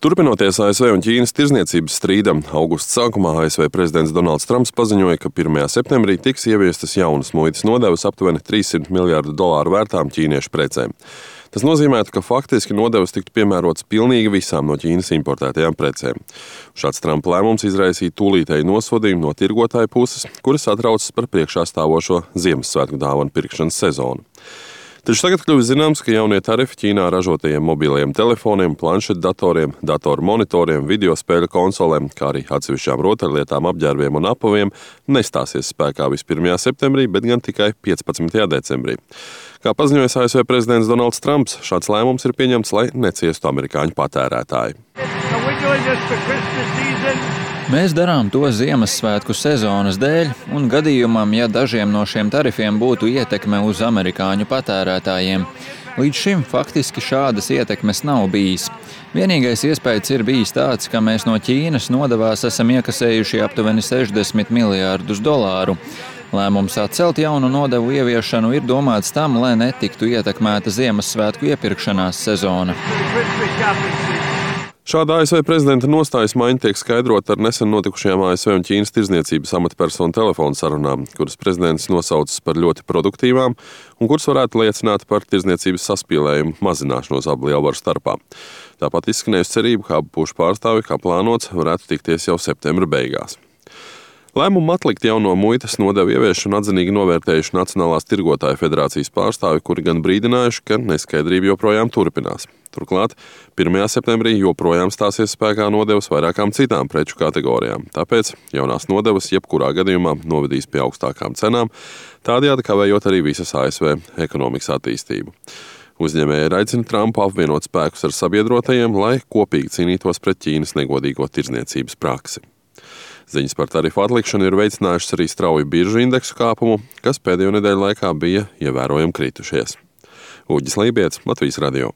Turpinoties ASV un Ķīnas tirdzniecības strīdam, augusta sākumā ASV prezidents Donalds Trumps paziņoja, ka 1. septembrī tiks ieviestas jaunas muitas nodevas aptuveni $300 miljārdu vērtām ķīniešu precēm. Tas nozīmētu, ka faktiski nodevas tiktu piemērotas pilnīgi visām no Ķīnas importētajām precēm. Šāds Trumpa lēmums izraisīja tūlītēju nosodījumu no tirgotāju puses, kuras atraucas par priekšā stāvošo Ziemassvētku dāvanu pirkšanas sezonu. Taču tagad kļuvis zināms, ka jaunie tarifi Ķīnā ražotajiem mobilajiem telefoniem, planšetdatoriem, datoru monitoriem, video spēļu konsolēm, kā arī atsevišķām rotaļlietām, apģērbiem un apaviem nestāsies spēkā vis 1. septembrī, bet gan tikai 15. decembrī. Kā paziņoja ASV prezidents Donalds Trumps, šāds lēmums ir pieņemts, lai neciestu amerikāņu patērētāji. Mēs darām to Ziemassvētku sezonas dēļ, un gadījumam, ja dažiem no šiem tarifiem būtu ietekme uz amerikāņu patērētājiem. Līdz šim faktiski šādas ietekmes nav bijis. Vienīgais iespējas ir bijis tāds, ka mēs no Ķīnas nodevās esam iekasējuši aptuveni $60 miljārdus. Lēmums atcelt jaunu nodevu ieviešanu ir domāts tam, lai netiktu ietekmēta Ziemassvētku iepirkšanās sezona. Šāda ASV prezidenta nostājas maiņa tiek skaidrota ar nesen notikušajām ASV un Ķīnas tirdzniecības amatpersonu telefonu sarunām, kuras prezidents nosaucis par ļoti produktīvām un kuras varētu liecināt par tirdzniecības saspīlējumu mazināšanos abu lielvaru starpā. Tāpat izskanējusi cerība, ka abu pušu pārstāvi, kā plānots, varētu tikties jau septembra beigās. Lēmumu atlikt jauno muitas nodevu ieviešanu atzinīgi novērtējuši Nacionālās tirgotāju federācijas pārstāvi, kuri gan brīdinājuši, ka neskaidrība joprojām turpinās. Turklāt 1. septembrī joprojām stāsies spēkā nodevas vairākām citām preču kategorijām, tāpēc jaunās nodevas jebkurā gadījumā novedīs pie augstākām cenām, tādējādi kavējot arī visas ASV ekonomikas attīstību. Uzņēmēji aicina Trumpu apvienot spēkus ar sabiedrotajiem, lai kopīgi cīnītos pret Ķīnas negodīgo tirdzniecības praksi. Ziņas par tarifu atlikšanu ir veicinājušas arī strauju biržu indeksu kāpumu, kas pēdējo nedēļu laikā bija ievērojami kritušies. Uģis Lībijets, Latvijas radio.